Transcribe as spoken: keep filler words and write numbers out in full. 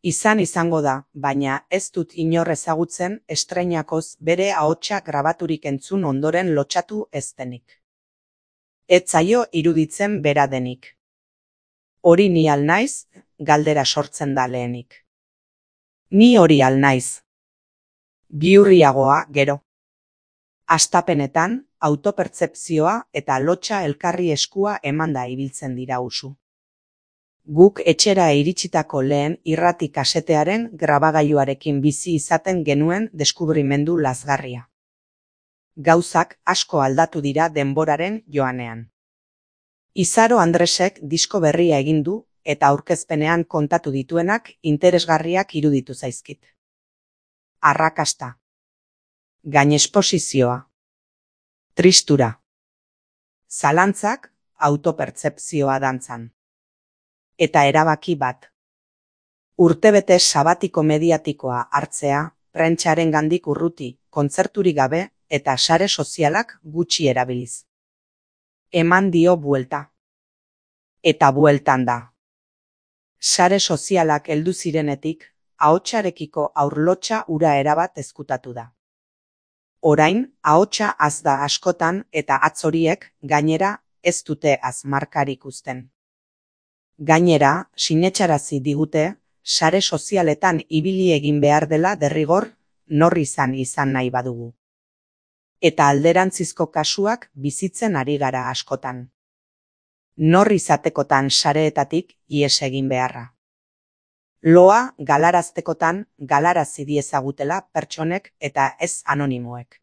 Izan izango da, baina ez dut inor ezagutzen estreinakoz bere ahotsa grabaturik entzun ondoren lotsatu ez denik. Ez zaio iruditzen bera denik. Hori ni al naiz, galdera sortzen da lehenik. Ni hori al naiz. Bihurriagoa, gero. Hastapenetan, autopertzepzioa eta lotsa elkarri eskua emanda ibiltzen dira usu. Guk etxera iritsitako lehen irrati kasetearen grabagailuarekin bizi izaten genuen deskubrimendu lazgarria. Gauzak asko aldatu dira denboraren joanean. Izaro Andresek disko berria egin du eta aurkezpenean kontatu dituenak interesgarriak iruditu zaizkit. Arrakasta. Gainesposizioa. Tristura. Zalantzak autopertzepzioa dantzan. Eta erabaki bat. Urtebete sabatiko mediatikoa hartzea, prentsaren gandik urruti, kontzerturik gabe eta sare sozialak gutxi erabiliz. Eman dio buelta. Eta bueltan da. Sare sozialak heldu zirenetik, ahotsarekiko aurlotsa ura erabat ezkutatu da. Orain, ahotsa az da askotan eta hatz horiek, gainera, ez dute azmarkarik uzten. Gainera, sinetsarazi digute, sare sozialetan ibili egin behar dela derrigor, nor izan izan nahi badugu. Eta alderantzizko kasuak bizitzen ari gara askotan. Nor izatekotan sareetatik ihes egin beharra. Loa galaraztekotan galarazi diezagutela pertsonek eta ez anonimoek.